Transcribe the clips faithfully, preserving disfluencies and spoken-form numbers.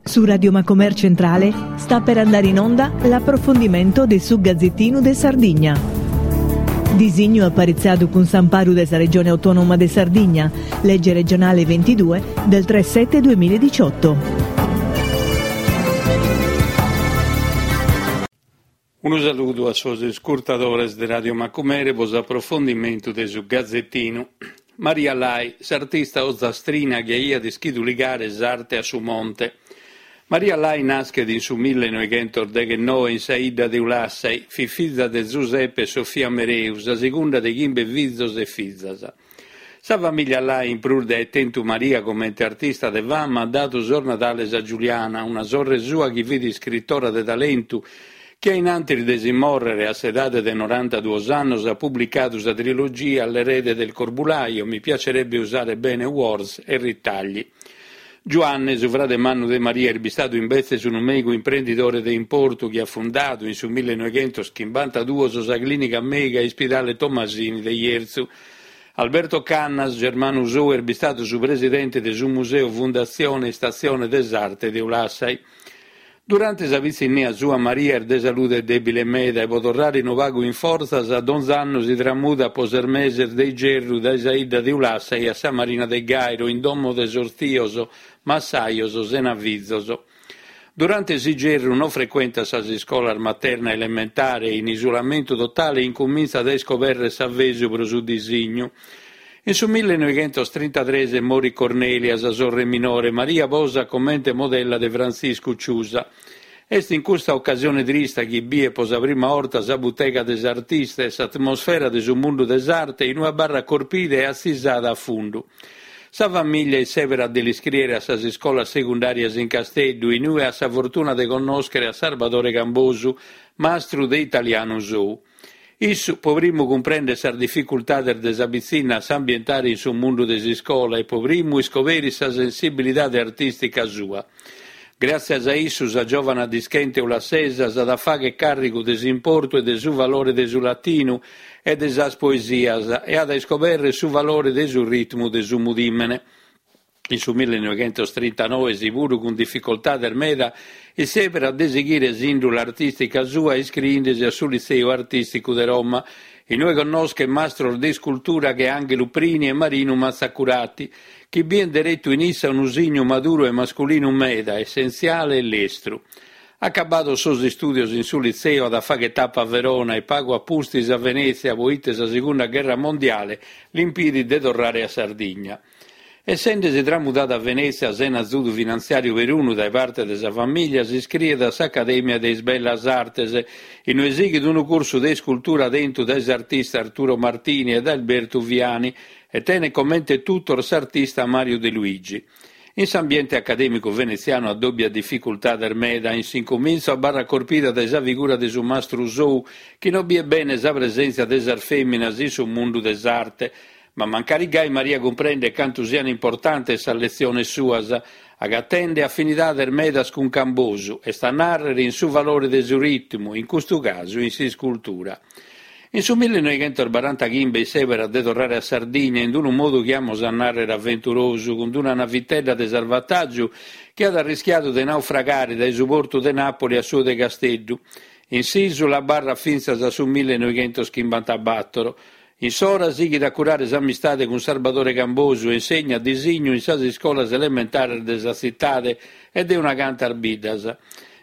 Su Radio Macomer Centrale sta per andare in onda l'approfondimento de su Gazzettinu de Sardigna. Disignu aparitzadu cun s'amparu de sa Regione Autonoma de Sardigna, legge regionale ventidue del tre sette duemiladiciotto. Unu saludu a sos iscurtadores de Radio Macumere pro s'aprofondimentu de su Gazzettinu. Maria Lai, s'artista ozastrina chi aiat ischidu ligare s'arte a su monte. Maria Lai naschet in su millenoighentosdeghennoe in sa 'idda de Ulassai, fit fiza de Zuseppe e Sofia Mereu, sa segunda de chimbe fizos e fizas. Sa famiglia Lai, in prus de aer tentu Maria comente artista de fama, at dadu sos nadales a Giuliana, una sorre sua chi fit iscritora de talentu, chi a in antis de si mòrrere a s'edade de norantaduos annos at publicadu sa trilogia L'erede del corbulaio, Mi piacerebbe usare bene Words e Ritagli. Giuanne, su frade mannu de Maria, est bistadu imbetzes unu mèigu imprendidore de importu chi at fundadu in su millenoighentoschimbanta-duos sa clìnica mèiga Ispidale Tomasini de Jerzu. Alberto Cannas, germanu sou, est bistadu su presidente de su Museu Fundatzione Istatzione de s'Arte de Ulassai. Durante sa pitzinnia sua Maria est de salude dèbile meda e pro torrare unu pagu in fortzas donz'annu si tramudat pro ses meses de igerru dae sa 'idda de Ulassai a sa Marina de Gairo in domo de sos tios, massajos sena fizos. Durante s'igerru non frecuentat sas iscolas materna e elementare e in isulamentu totale incumintzat a iscoberrer s'avesu pro su disignu. In su millenoighentostrintatres morit Cornelia, sa sorre minore. Maria posa comente modella de Frantziscu Ciusa. Est in custa ocasione trista chi biet pro sa prima 'orta sa butega de s'artista e s'atmosfera de su mundu de s'arte inue abarrat corpida e atzisada a fundu. Sa famiglia isseberat de l'iscriere a sas iscolas segundàrias in Casteddu, inue at sa fortuna de connòschere a Sarbadore Cambosu, mastru de italianu sou. Issu pro primu cumprendet sas dificultades de sa pitzinna a s'ambientare in su mundu de s'iscola e pro primu iscoberit sa sensibilidade artìstica sua. Gràtzias a issu sa giòvana dischente ulassesa s'at a fagher càrrigu de s'importu e de su valore de su latinu e de sas poesias e at a iscoberrer su valore de su ritmu de su mudìmene. In su millenoighentostrinta-noe, si puru cun dificultades meda, isseberat de sighire s'ìndula artìstica sua iscriende-si a su Litzeu Artìsticu de Roma, inue connoschet mastros de iscultura che Ànghelu Prini e Marinu Mazzacurati, chi bient deretu in issa unu signu maduru e masculinu meda, essentziale e lestru. Acabados sos istùdios in su Litzeu at a fagher tapa a Verona e pagu a pustis a Venètzia, poite sa Segunda Gherra Mondiale l'impidit de torrare a Sardigna. Essende-si tramudada a Venètzia sena azudu finantziàriu perunu dae parte de sa famìlia, s'iscriet a s'Acadèmia de is Bellas Artes, inue sighit unu cursu de iscultura tentu dae s'artista Arturo Martini e dae Albertu Viani e tenet comente tutor s'artista Mario De Luigi. In s'ambiente acadèmicu venetzianu addòbiat dificultades meda. In s'incumintzu abarrat corpida dae sa figura de su mastru sou, chi non biet bene sa presèntzia de sas fèminas in su mundu de s'arte. Ma mancari gai Maria cumprendet cantu sian importantes sas letziones suas, agatende afinidades medas cun Cambosu, est a nàrrere in su valore de su ritmu, in custu casu in s'iscultura. In su millenoighentosbarantachimbe isseberat de torrare a Sardigna in unu modu chi amus a nàrrere aventurosu, cun una navitedda de salvatàgiu chi at arrischiadu de naufragare dae su portu de Nàpoli a su de Casteddu. In s'ìsula abarrat fintzas a su millenoighentoschimbanta-bàtoro. In s'ora sighit a curare s'amistade cun Sarbadore Cambosu e insegnat disignu in sas iscolas elementares de sa tzitade e de una cantas biddas.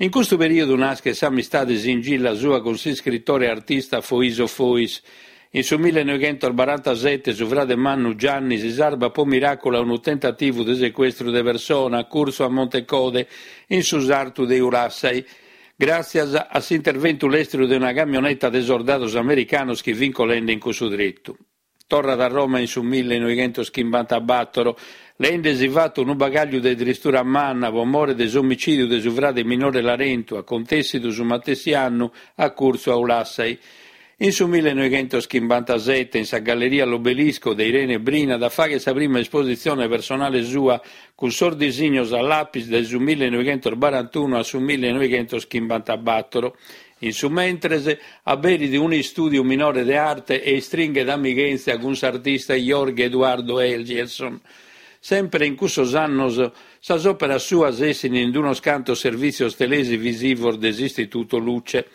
In custu perìodu naschet s'amistade singilla sua cun s'iscritore e artista Foiso Fois. In su millenoighentosbarantasete su frade mannu Gianni si sarbat pro miràculu a unu tentativu de secuestru de persona a curtzu a Montecode, in su sartu de Ulassai, gràtzias a s'interventu lestru de una camioneta de sordados americanos chi fint colende in cussu tretu. Torrat a Roma in su millenoighentoschimbanta-bàtoro, leende-si fatu unu bagàgliu de tristura manna pro more de s'omicìdiu de su frade minore Larentu, acontèssidu su matessi annu a curtzu a Ulassai. In su millenoighentoschimbanta-sete, in sa Galleria L'Obelisco de Irene Brina, at a fagher sa prima espositzione personale sua cun sos disignos a lapis dae su millenoighentosbarantunu a su millenoighentoschimbanta-bàtoro. In su mentres, aberit un'istùdiu minore de arte e istringhet amighèntzia cun s'artista Jorge Eduardo Eliécer. Sempre in cussos annos sas òperas suas essin in unos cantos servìtzios televisivos de s'Istituto Luce.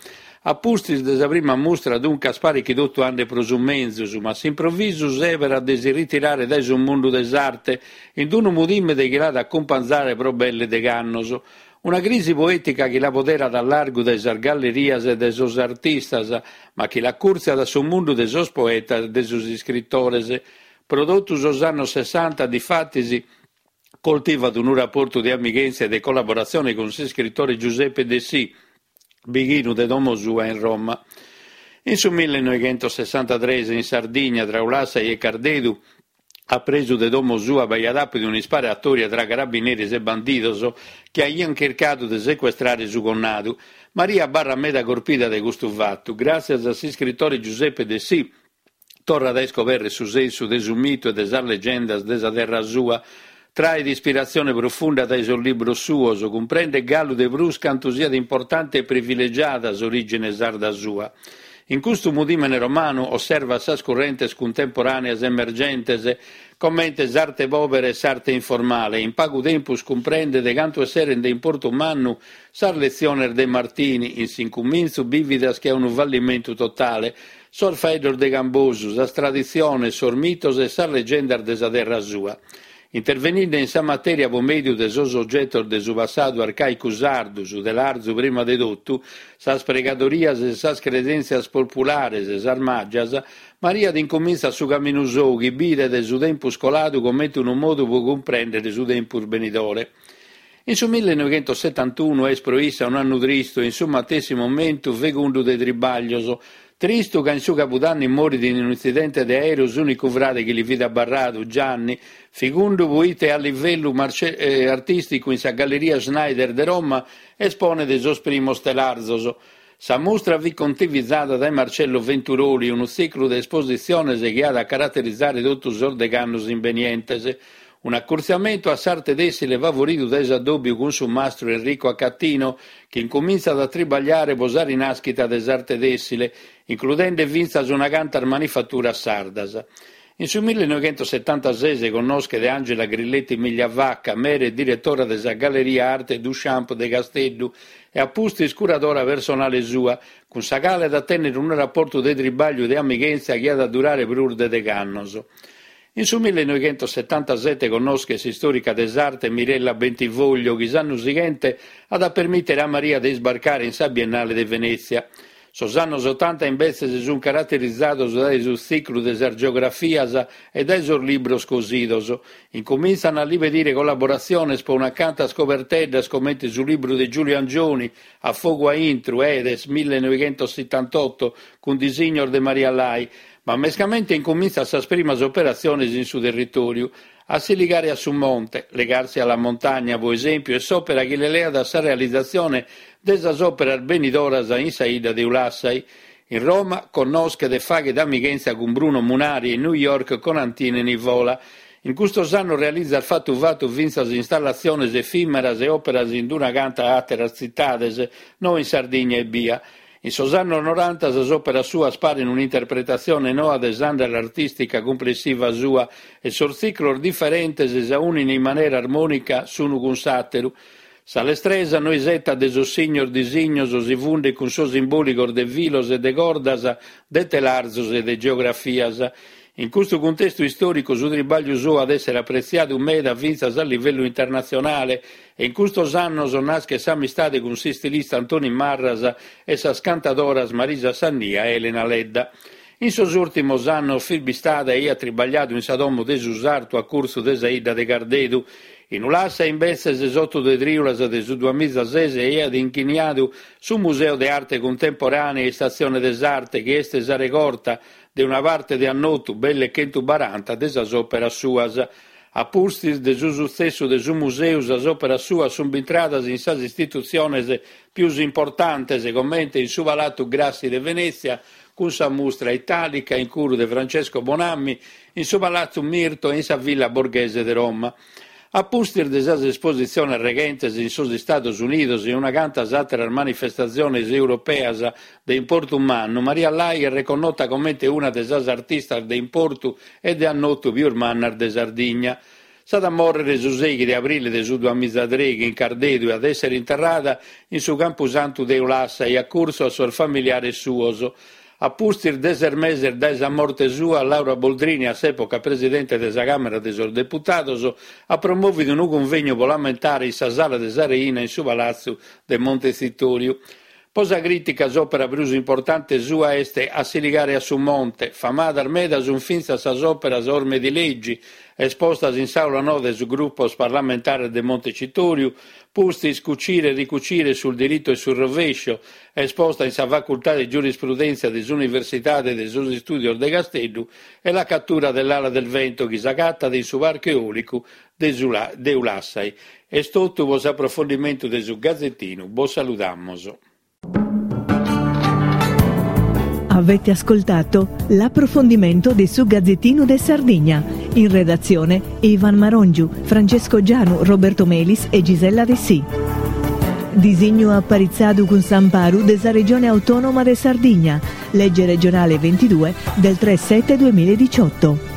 A pustis de sa prima mustra duncas paret chi totu andet pro su menzus, ma a s'improvisu sèberat de si ritirare dae su mundu de s'arte, in unu mudìmene chi l'at a acumpanzare pro belle degh'annos. Una crisi poètica chi la poderat a largu dae sas gallerias e dae sos artistas, ma chi l'acùrtziat a su mundu de sos poetas e de sos iscritores. Pro totu sos annos sessanta, difatis, coltivat unu raportu de amighèntzia e de collaboratzione cun s'iscritore Giuseppe Dessì, bighinu de domo sua in Roma. In su millenoighentosessantatrès, in Sardigna, tra Ulassai e Cardedu, a presu de domo sua b'aiat àpidu un'isparatòria tra carabineris e bandidos chi aiant chircadu de secuestrare su connadu. Maria abarrat meda corpida dae custu fatu. Gràtzias a s'iscritore Giuseppe Dessì, torrat a iscobèrrere su sensu de su mitu e de sas legendas de sa terra sua. Traet ispiratzione profunda dae sos libros suos, cumprendet galu de prus cantu siat importante e privilegiada s'orìgine sarda sua. In custu mudìmene romanu osservat sas currentes cuntemporàneas emergentes, comente s'arte pòbera e s'arte informale, e in pagu tempus cumprendet cantu esserent de importu mannu sas letziones de Martini, in s'incumintzu bìvidas che a unu fallimentu totale, sos faeddos de Cambosu, sas traditziones, sos mitos e sas legendas de sa terra sua. Interveninde in sa matèria pro mèdiu de sos ogetos de su passadu arcàicu sardu, su telarzu prima de totu, sas pregadorias e sas credèntzias populares, sas màgias, Maria incumintzat su caminu sou chi bidet su tempus coladu comente unu modu pro cumprèndere su tempus benidore. In su millenoighentosetantunu est pro issa un'annu tristu e in su matessi momentu fegundu de tribàglios. Tristu ca in su cabudanni morit in un'intzidente de aèreu s'ùnicu frade chi li fit abarradu, Gianni, fegundu proite a livellu artìsticu in sa Galleria Schneider de Roma esponet sos primos telarzos. Sa mustra fit contivizada dae Marcello Venturoli, unu tziclu de espositziones chi at a caraterizare totu sos degh'annos imbenientes. Un'acurtziamentu a s'arte tèssile favoridu dae s'addòbiu cun su mastru Enrico Accatino, chi incumintzat a tribagliare pro sa rinàschida de s'arte tèssile, includende fintzas una cantas manifaturas sardas. In su millenoighentosetantases connoschet Angela Grilletti Migliavacca, mere e diretora de sa Galleria Arte Duchamp de Casteddu e a pustis curadora personale sua, cun sa cale at a tènnere unu raportu de tribàgliu de amighèntzia chi at a durare prus de degh'annos. In su millenoighentosetantasete connoschet s'istòrica de s'arte Mirella Bentivoglio, chi s'annu sighente at a permìtere a Maria de isbarcare in sa Biennale de Venètzia. Sos annos otanta imbetzes sunt caraterizados dae su tziclu de sas geografias e dae sos libros cosidos. Incumintzan a li pedire collaboratziones pro una cantas coberteddas comente su libru de Giulio Angioni, A fogu a intru, Edes, millenoighentosetantotto, cun disignos de Maria Lai, ma mescamente incumintzat sas primas operatziones in su territòriu. A si ligare a su monte, legarsi alla montagna, pro esèmpiu, est s'òpera chi le leat a sa realizatzione de sas òperas benidoras in sa 'idda de Ulassai. In Roma connoschet e faghet amighèntzia cun Bruno Munari e in New York con Antine Nivola. In custos annos realizat fatu fatu fintzas installatziones efìmeras e òperas in una canta àteras tzitades, no in Sardigna ebbia. In sos annos noranta sas òperas suas paren un'interpretatzione noa de s'àndala artìstica cumplessiva sua e sos tziclos diferentes s'aunin in manera armònica s'unu cun s'àteru. Sa lestresa no isetat de sos signos disignos si fundet cun sos imbòligos de filos e de cordas, de telarzos e de geografias. In custu cuntestu istòricu su tribàgliu suo at èssere apretziadu meda fintzas a livellu internatzionale e in custos annos naschet s'amistade cun s'istilista Antoni Marras e sas cantadoras Marisa Sannia e Elena Ledda. In sos ùrtimos annos fit bistada e aiat tribagliadu in sa domo de su sartu a curtzu de sa 'idda de Cardedu. In Ulassa, imbetzes, s'oto de trìulas de su duamiza ses aiat inghiniadu su Museu de Arte Cuntemporànea e Istatzione de s'Arte, chi est sa regorta de una parte de annotu, belle chentu baranta, de sas òperas suas. A pustis de su sutzessu de su museu, sas òperas suas sunt bintradas in sas istitutziones pius importantes, comente in su Palatu Grassi de Venètzia, cun sa mustra Italica in curu de Francesco Bonammi, in su Palatu Mirto e in sa Villa Borghese de Roma. A pustis de sas espositziones reghentes in sos Istados Unidos e una cantas àteras manifestatziones europeas de importu mannu, Maria Lai est reconnota comente una de sas artistas de importu e de annotu pius mannas de Sardigna. S'at a mòrrere su sèighi de abrile de su duamiza trèighi in Cardedu e at èssere interrada in su Campusantu de Ulassai, a curtzu a sos familiares suos. A pustis de ses meses dae sa morte sua, Laura Boldrini, a s'època presidente de sa Càmera de sos Deputados, at promòvidu unu cunvegnu pro l'ammentare in sa Sala de sa Reina in su Palatzu de Montetzitòriu. Pro sa crìtica s'òpera prus importante sua est A si ligare a su monte. Famadas meda sunt fintzas sas òperas Orme di leggi, espostas in s'Aula Noa de sos grupos parlamentares de Montecitòriu, pustis Cucire e ricucire sul diritto e sul rovescio, esposta in sa Facultade de Giurisprudèntzia de s'Universidade de sos Istùdios de Casteddu e La cattura dell'ala del vento chi s'agatat in su Parcu Eòlicu de Ulassai. Est totu pro s'aprofondimentu de su Gazetinu. Bos saludamus. Avete ascoltato l'approfondimento di su Gazzettino de Sardigna. In redazione Ivan Marongiu, Francesco Gianu, Roberto Melis e Gisella Dessì. Disignu aparitzadu cun s'amparu de sa Regione Autonoma de Sardigna, legge regionale ventidue del tre sette duemiladiciotto.